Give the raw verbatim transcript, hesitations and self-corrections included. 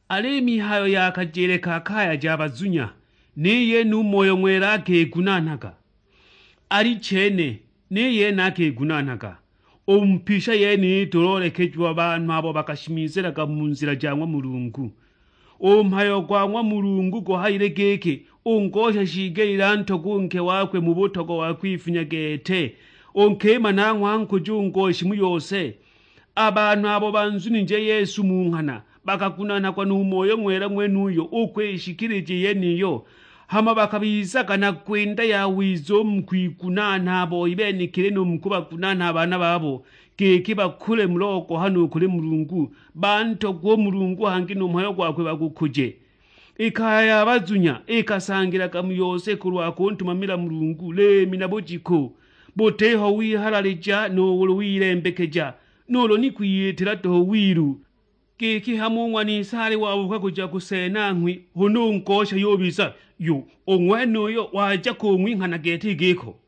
Alī mihayo ya kajele ka kaya ja bazunya, ni yene u Moyo Ng'wela akigunanhaga. Alichene, ni yene akigunanhaga. U mu pisha yeniyi tuloolekejiwa banhu abo bakashimizilaga mu nzila ja ng'wa Mulungu. U mhayo gwa ng'wa Mulungu guhayile giki, u ngosha shiigelile antogwe u nke wakwe mu butogwa wa kwifunya gete, u nkima nanghwe ankuja u ngoshi mu yose. A banhu abo banzunije Yesu mu nghana bakagunanhagwa nu Moyo Ng'wela ng'wenuyo u kwishikilija i yeniyo, hama bakabizaga na kwinda yawiza u mu kwigunanha a boi benekili nu mu kubagunanha a baana babo, giki bakule mu logohano u kuli Mulungu, bantogwe u Mulungu hangi nu mhayo gwakwe bagukuje. I kaya ya bazunya ikasangilaga mu yose kulwa kuntumamila Mulungu liimi na bujiku, butiho wihalalija nuulu wilembekeja, nuulu ni kwiyitila duhu wilu. Giki hamo u ng'wa Nisale wabuuka kuja kuseena nghwi, huna u ngosha yubiza, yu u ng'wenuyo waja kung'winhana gete i giko?